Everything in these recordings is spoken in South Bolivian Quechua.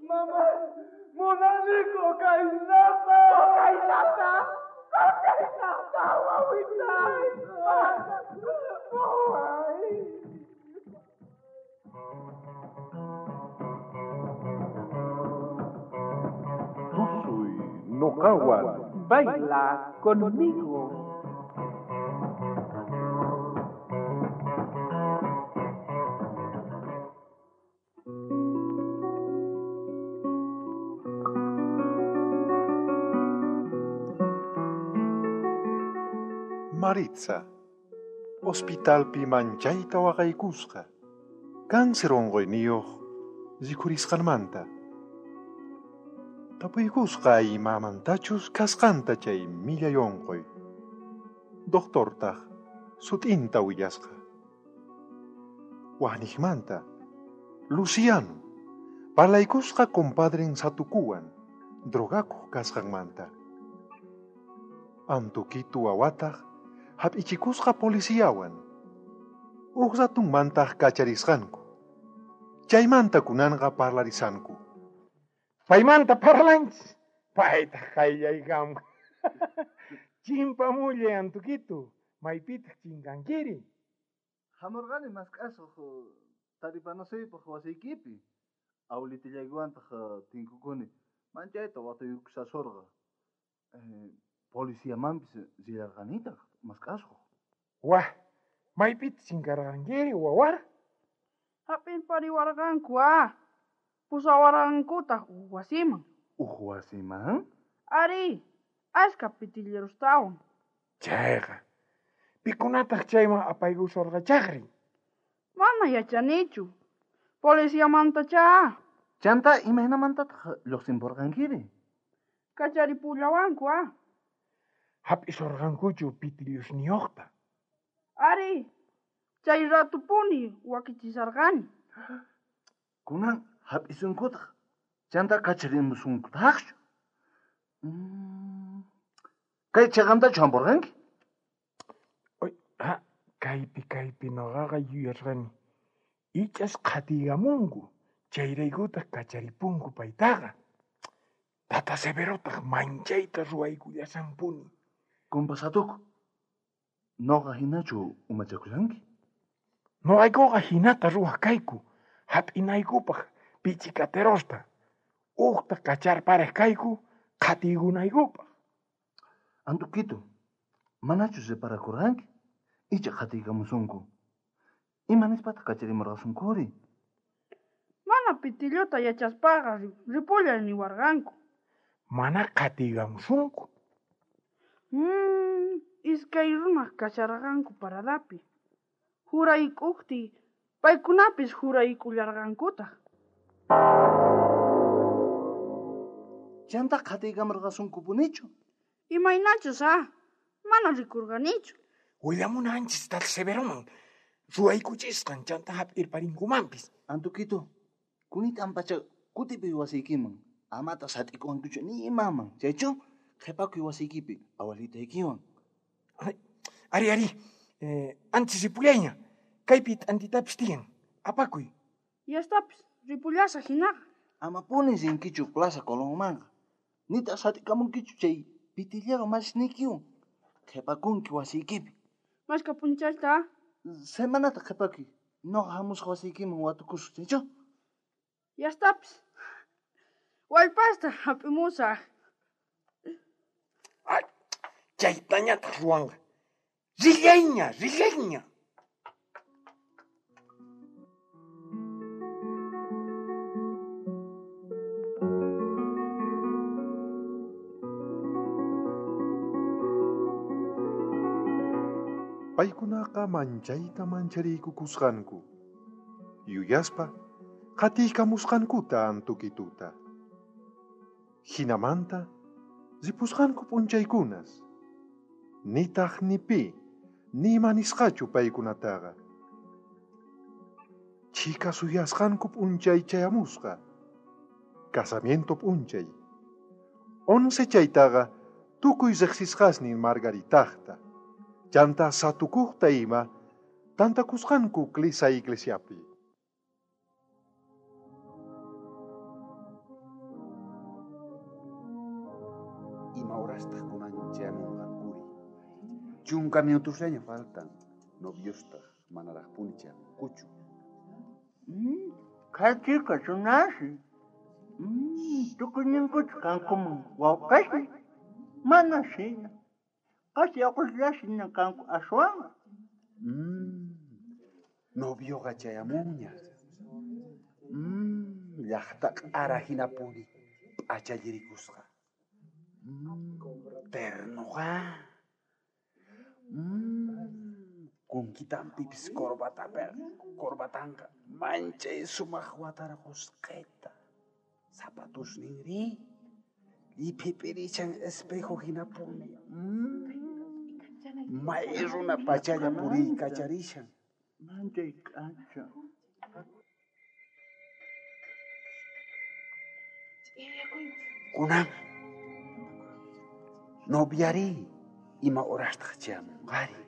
Mamá, munani cocainata. Cocainata. Cocainata, wawitay. Waway. Tusuy noqawan. Baila conmigo. Maritza, hospitalpi manchayta waqaykusqa, cáncer onqoyniyuq rikhurisqanmanta. Tapuykusqa imamantachus kasqanta chay millay onqoy. Doctortaq sut'inta willasqa. Wajniqmanta, Luciano, parlaykusqa compadren Satukuwan, drogakuq kasqanmanta. Antukitu wawataq hap'ichikusqa policiawan. Uj ratunmantaq kacharisqanku. Chaymanta kunanqa parlarisanku. Paymanta parlanchis. Paytaq qayllaykamun. Chimpamullay Antukitu, maypitaq chinkankiri. Hamurqani mask'asuq taripanasuypaq wasiykipi. Awlitillaywantaq tinkukuni. Manchayta wataykusasurqa. Policiamanpis rillarqanitaq mask'asuq. Wah, maypitaq chinkarqankiri wawa? Hap'irpariwarqanku ah. Pusawarqankutaq uj wasiman. Uj wasiman? Ari, ashka pitillerustawan. Chayqa, pikunataq chayman apaykusurqachaqri? Mana yachanichu. Policiamantachá. Chanta imaynamantataq lluqsinpurqankiri? Kacharipullawanku ah. Hap'isurqankuchu pitillusniyuqta? Ari, chay ratupuni wakichisarqani. Kunan hap'isunkutaq, chanta kacharimusunkutaqchu. Kay chiqantachu hampurqanki? Ha, kaypi noqaqa yuyasqani. Ichas qhatiykamunku, chayraykutaq kacharipunku paytaqa. Tata Severotaq manchayta ruwaykullasanpuni. Kumpa Satuku, noqa hinachu umachakushanki? Noqaykuqa hinata ruwaq kayku, hap'inaykupaq pichikaterosta, uqta kacharparej kayku qhatiykunaykupaq. Antukitu, manachu reparakurqanki? Icha qhatiykamusunku. Ima nispataq kacharimurqasunkuri? Mana pitilluta yachaspaqa ripullay niwarqanku. Mana qhatiykamusunku. Iskay runaq kasharqanku paradapi. Jurayk'uqti paykunapis juraykullarqankutaq. Chanta qhatiykamurqasunkupunichu? Imaynachus ah, mana rikurqanichu. Willamunanchis Tata Severoman ruwaykuchisqan chanta hap'irparinkumanpis. Antukitu, kunitan pacha kutipi wasiykiman, amata sat'ikuwankuchu ni imaman, chaychu qhipakuy wasiykipi awalitaykiwan. Ari, ari, anchis ripullayña, kaypi t'antitapis tiyan, apakuy. Yastapis, ripullasaq hinaqa. Amapuni rinkichu Plaza Colónmanqa, nitaq sat'ikamunkichu chay pitillero masisniykiwan, qhipakunki wasiykipi. Mashka p'unchayta? Semanata qhipakuy, noqa hamusaq wasiykiman watukusaq, chaychu? Yastapis, wallpasta hap'imusaq. Ay, chaytañataq ruwanqa. Rillayña, rillayña. Paykunaqa manchayta manchariykukusqanku. Yuyaspa qhatiykamusqankuta Antukituta. Hinamanta ripusqanku p'unchaykunas. Nitaq ni pi, ni ima nisqachu paykunataqa. Chhika suyasqanku p'unchay chayamusqa. Casamiento p'unchay. 11 chaytaqa tukuy riqsisqasnin Margaritaqta. Chanta Satukuqta ima tantakusqanku Clisa iglesiapi. Ima horastaj kunan chayamonqankuri? 10 minutosllaña faltan. Noviostaj manarajpuni chayamunkuchu. Kachika runasi. Tukuyninkuchu kankuman wawqesnin. Mana shina. Qasi aqullasina kanku aswan. Novioqa chayamunña. Llaqta q'ara hinapuni p'achallirikusqa. Ternoqa. Kunkitanpipis corbatanqa manchay sumaq watarqusqeta. Zapatusninri lliphipirichan espejo hinapuni. May runa pachalla puriykacharishan. Manchay k'acha. Kunan noviari ima horastaj chayamunqari?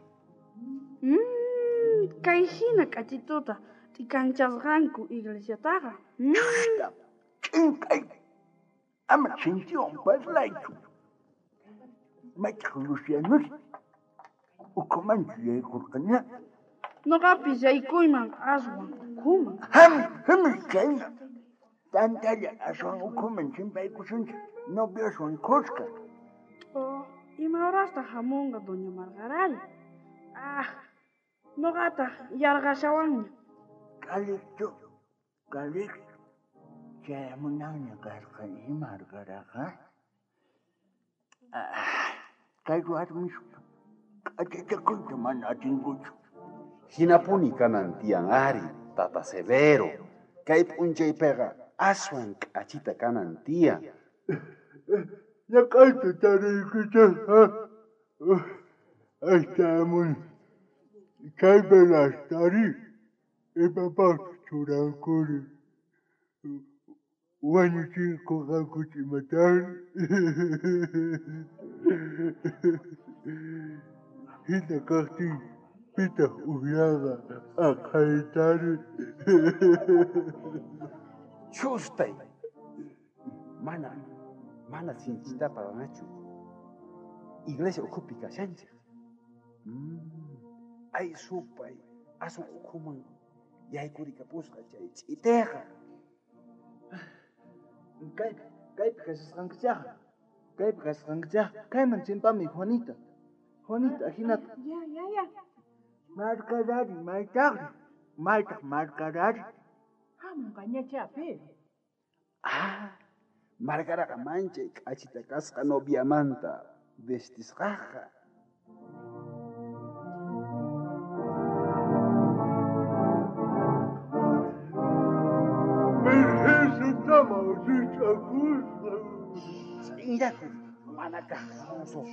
Kay hina k'achituta t'ikanchasqanku iglesiataqa. Ch'inkay. Ama sinchiwan parlaychu. Maytaq Lucianuri ukhumanchu yaykurqaña. Noqapis yaykuyman aswan ukhuman. Hamuy kayman. Tantalla aswan ukhuman chimpaykusunchik novioswan khuska. Oh, ima horastaq hamunqa doña Margarari? Ah, noqataq yarqashawanña. Calixto, Calixto. Chayamunanña karqa Margaraqa. Kay warmisqa k'achachakuyta mana atinkuchu. Hinapuni kanan tiyan ari, tata Severo. Kay p'unchaypiqa aswan k'achita kanan tiyan. Ñak'ayta tariykichej, aychamun chay velastari imapaqchus churankuri. Wañuchiykuqankuchu imatari. Hina kajtin pitaq ujyaqa aqhaytari. Chustay. Mana sinchita paranachu. Iglesia ukhupi kashanchej. Ay supay, aswan ukhuman yaykurikapusqa chay ch'iteqa. Kaypi kashasqankichajqa. Kaypi kashasqankichajqa. Kayman chimpami Juanita. Juanita, ajinata. Ya. Margarari, maytaqri. Maytaq Margarari. Hamunqañachá, pero. Ah, Margaraqa manchay k'achita kasqa noviamanta vestisqaqa. Virgencitama rikch'akusqa. Ch'inllakuy, mana kaq musuq.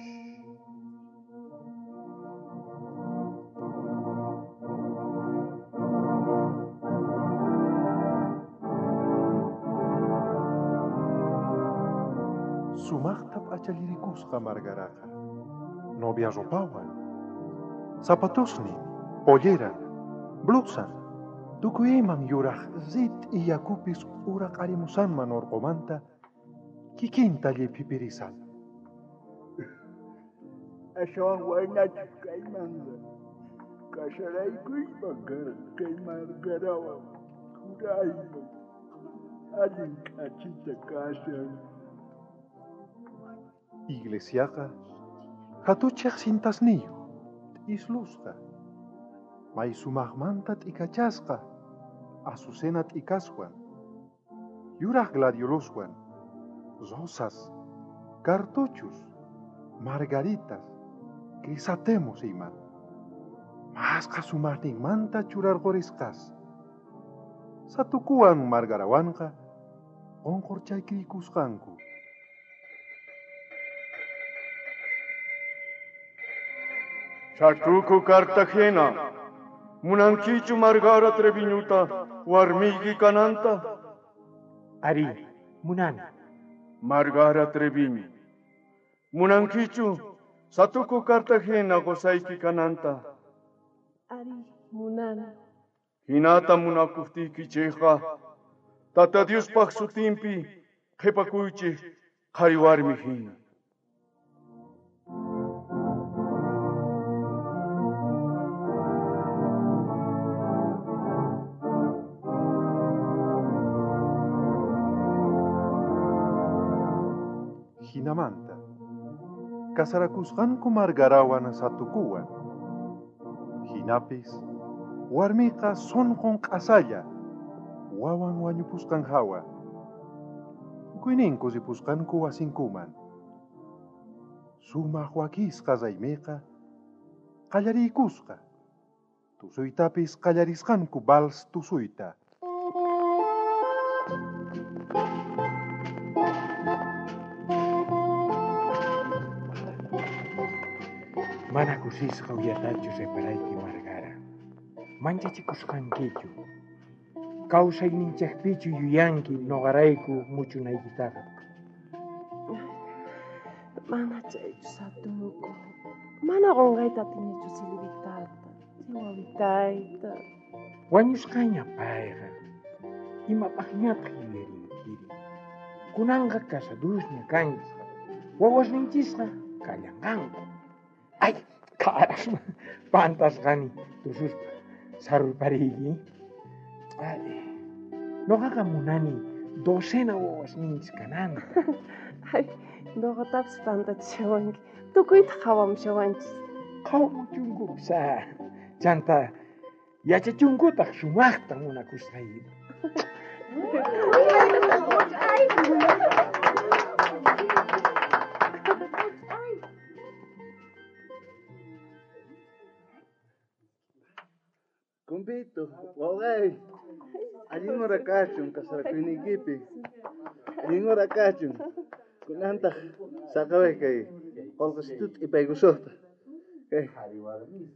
Sumaqta p'achallirikusqa Margaraqa. Novia ropawan. Zapatosnin, polleran, blusan, tukuy iman yuraq rit'i yakupis uraqarimusanman urqumanta kikinta lliphipirisan. Aswan waynachus kaymanqa kasaraykuyman karqa kay Margarawan jurayman allin k'achita kashan. Iglesiaqa hatuchej cintasniyuq, t'islusqa, may sumaqmanta t'ikachasqa, azucena t'ikaswan, yuraq gladioluswan, rosas, cartuchos, margaritas, crisantemos ima. Masqa sumaqninmanta churarqurisqas. Satukuwan Margarawanqa qunqurchaykiykusqanku. Satuku Cartagena, munankichu Margara Treviñuta warmiyki kananta? Ari, munani. Margara Treviño, munankichu Satuku Cartagena qusayki kananta? Ari, munani. Hinata munakuptiykichejqa, Tata Diospaj sutinpi qhipakuychej qhari warmi hina. Jinamanta kasarakusqanku Margarawan Satukuwan. Jinapis warmiqa sunqun q'asalla wawan wañupusqan hawa. Tukuyninku ripusqanku wasinkuman. Sumaq wakisqa raymiqa qallariykusqa. Tusuytapis qallarisqanku vals tusuyta. Mana kusisqa uyatachu reparayki Margara. Manchachikusqankichu. Kawsayninchikpichu yuyanki noqarayku muchunaykitaqa. Mana chaychu Satuku. Mana qonqayta atinichu Silvitata, chay wawitayta. Wañusqaña payqa. Imapaqñataq yuyarinkiri. Kunanqa casadusña kanki. Wawasninchisqa kallanqanku. Ay, carasma, pantasqani tususpa sarurpariyki. Ay, noqaqa munani docena wawasninchis kananta. Ay, noqatapis pantachishawanki. Tukuyta qhawamushawanchis. Qhawamuchunkupis, chanta yachachunkutaq sumaqta munakusqayki. Kumpito, wawqay, allin hora kachun kasarakuyninkipi. Allin hora kachun. Kunantaq saqaway kay qolqesituta t'ipaykusuqta. Kay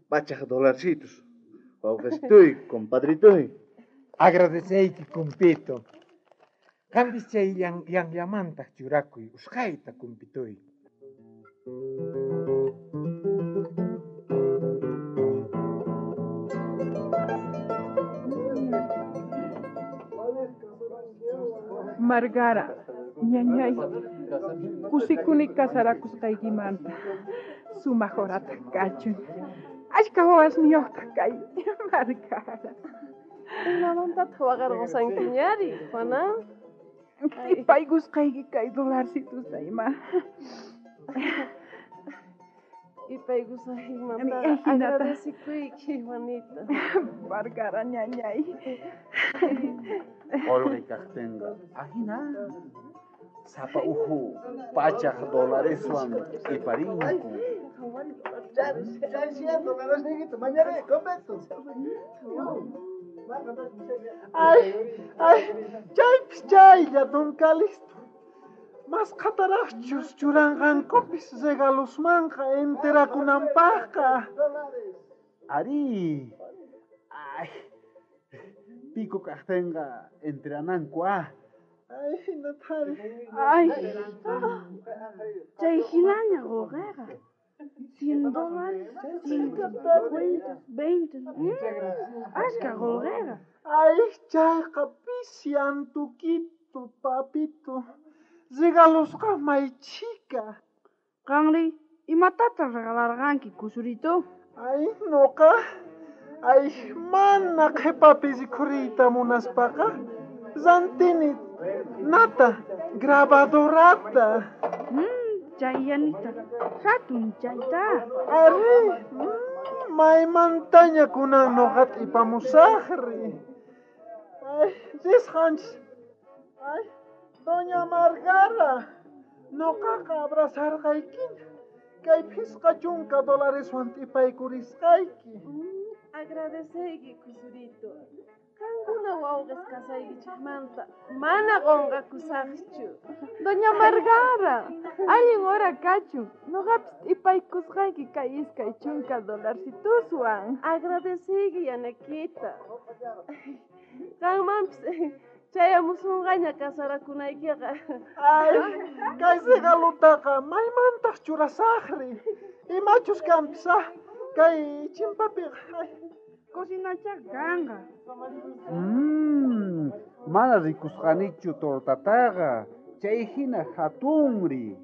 pachaj dolarcitos. Wawqesituy, compadrituy. Agradeceyki, kumpito. Qampis chay llanllamantaq churakuy usqhayta, kumpituy. Margara, ñañay, kusikuni kasarakusqaykimanta. Sumaq horataq kachun. Ashka wawasniyuqtaq kay, Margara. Imamantataq waqarqusankiñari, Juana? T'ipaykusqayki kay dolarcitusta ima. T'ipaykusqaykimanta agradecikuyki, Juanita. Margara ñañay. Qolqe kaqtinqa ajina sapa uhu pachaj dolareswan t'iparinku. Chay 100 dolaresniykita mañarí, completo. Ay, ay, chaypis chaylla don Calixto. Masqhataraqchus churanqankupis regalosmanqa enterakunanpaqqa. Ari, ay, pico kaqtinqa enterananku ah. Ay, hinatari. Ay, chay hinaña qullqiqa. $100, 50, 20. Ashka qullqiqa. Ay, chayqa pisi antukito, papito. Regalosqa may chhika. Qanri, imatataq regalarqanki, kusurito? Ay, noqa. Ay, mana qhipapi rikhuriyta munaspaqa. Rantini nata, grabadorata. Chay yanita, hatun chayta. Ari, maymantaña kunan noqa t'ipamusaqri. Ay, risqanchis. Ay, doña Margara, noqaqa abrazarqaykiña. Kay 50 dolareswan t'ipaykurisqayki. Agradeceyki, kusurito. Qankuna wawqis kasaykichikmanta mana qonqakusaqchu. Doña Margara, allin hora kachun. Noqapis t'ipaykusqayki kay 20 dolarcituswan. Agradeceyki, Yanakita. Qanmanpis chayamusunqaña kasarakunaykiqa. Ay, kay regalutaqa maymantaq churasaqri. Imachus kanpis, ah, kay chimpapiqa. Ay. Cocinacha kanqa. Mana rikusqanichu tortataqa. Chay hina hatunri.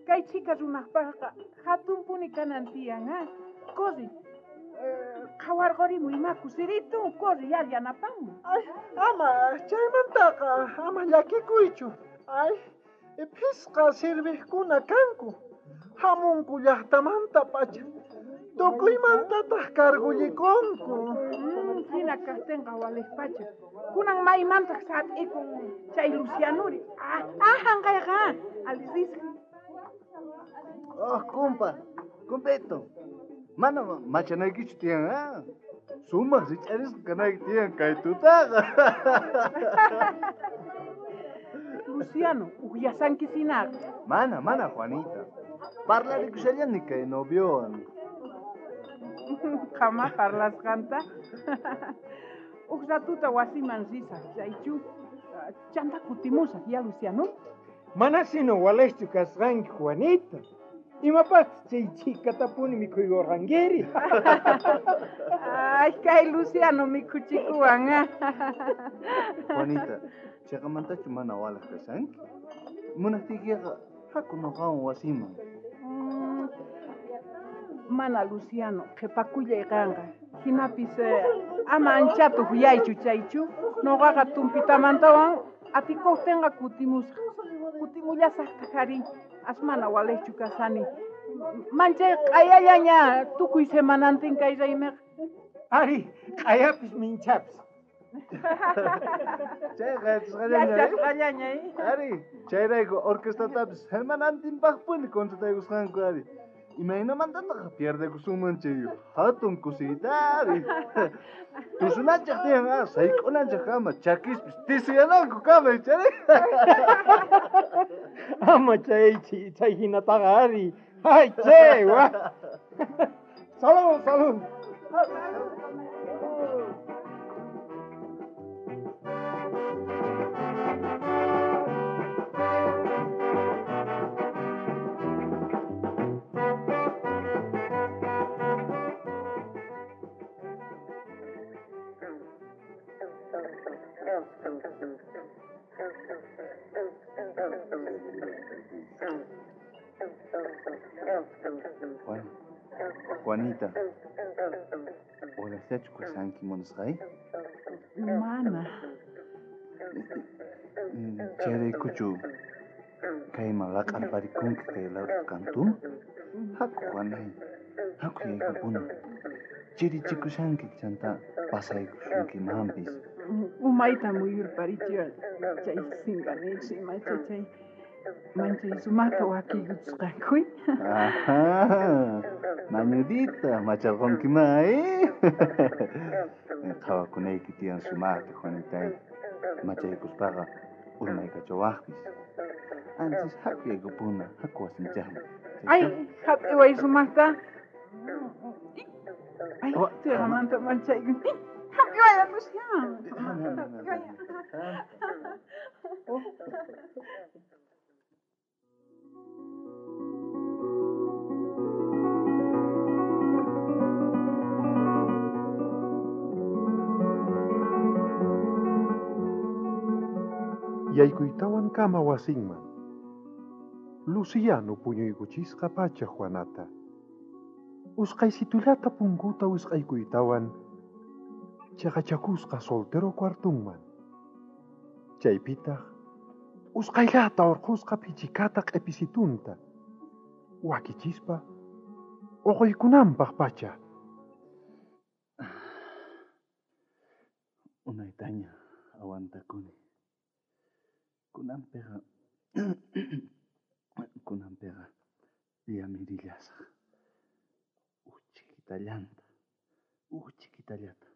Kay chhika runaqpaqqa hatunpuni kanan tiyan, ah. Corri. Qhawarqurimuy ima kusiritu, corri yar yanapamuy. Ay, ama chaymantaqa, ama llakikuychu. Ay, Phisqa sirvejkuna kanku. Hamunku llaqtamanta pacha. Tukuymantataq cargullikunku. Hina kajtenqa walejpacha. Kunan maymantaq sat'ikun chay Lucianuri. Ah, hanqayqa, alisisqa. Oh, kumpa, kumpito. Mana machanaykichu tiyan, ah? Sumaq rich'arisqa kanayki tiyan kay tutaqa. Luciano, ujyasankisinaqa. Mana, mana, Juanita. Parlarikushallani kay noviowan. Qama parlasqanta. Uj ratuta wasiman risaq, chaychu. Chanta kutimusaq, ya Luciano. Mana sino walejchu kasqanki, Juanita. Imapaqtaq chay chhikatapuni mikhuykurqankiri? Ay, kay Luciano mikhuchikuwan, ah. Juanita, chayqamantachu mana walej kashanki? Munajtiykiqa haku noqawan wasiman. Mana Luciano, qhipakullay qanqa. Hinapis ama anchata ujyaychu chaychu. Noqaqa tumpitamantawan atikuqtinqa kutimusaq. Kutimullasaqtaq ari. Asmana walejchu kasani. Manchay q'ayallaña tukuy semanantin kay raymiqa. Ari, q'ayapis minchapis. Chayqa yachasqallaña. Yachasqallaña, eh? Ari, chayrayku orquestatapis semanantinpaqpuni contrataykusqanku ari. Imaynamantataq pierdekusunman chay hatun kusiyta ari. Tusunanchej tiyan, ah, sayk'unanchej kama, chakispis tisiyananku kama, chari. Ama chay chay hinataqa ari. Ay, che, wa. Salud, salud. Juan, Juanita, walejllachu kashanki munasqay? Mana. Chayraykuchu kayman laq'arparikunki kay lado kantuman? Haku, Juanay, haku yaykupuna. Chirichikushanki chanta pasaykusunkimanpis. Umayta muyurparichiwan chay singanichu imacha chay manchay sumaqta wakiykuchisqankuy. Ajá, mañudita, macharqunkiman, eh? Qhawakunayki tiyan sumaqta, Juanitay. Machaykuspaqa urmaykachawaqpis. Antes haku yaykupuna, haku wasinchaqman. Ay, hap'iway sumaqta. Ay, tuyqamanta manchaykun. Hap'iway, Luciano. Yaykuytawan kama wasinman. Luciano puñuykuchisqa pacha Juanata. Usqaysitullata punkuta wisq'aykuytawan chaqachakusqa soltero cuartunman. Chaypitaq usqayllata urqhusqa phichikata q'episitunta wakichispa uquykunanpaq pacha. Unaytaña aguantakuni. Kunanpiqa kunanpiqa llamirillasaq. Uj chiquitallanta,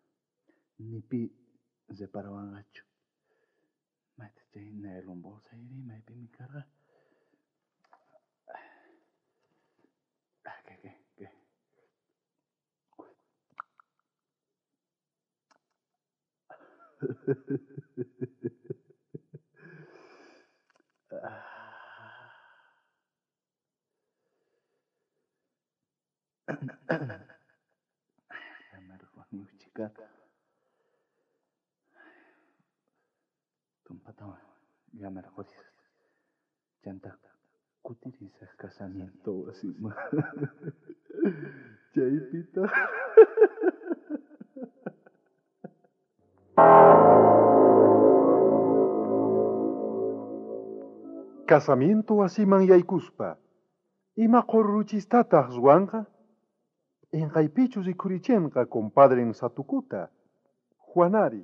ni pi reparawanqachu. Mayta chay nylon bolsayri maypimi karqa. Ah, kay, kay. Llamarquni uchikata. Tumpatawan llamarqurisaq. Chanta kutirisaq casamiento wasiman. Chaypitaq. Casamiento wasiman yaykuspa, ima qhurruchistataq ruwanqa? P'inqaypichu rikhurichinqa compadren Satukuta? Juanari,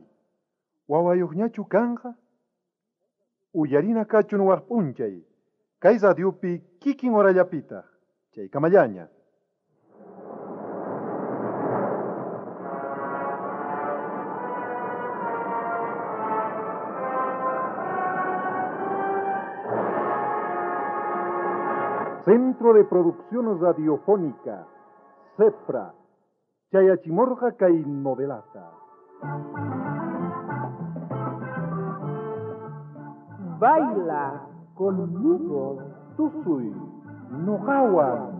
wawayuqñachu kanqa? Uyarina kachun waq p'unchay, kay radiopi kikin horallapitaq, chaykamallaña. Centro de Producción Radiofónica, CEPRA, Chayachimorga kay novelata. Baila conmigo. Tusuy, noqawan.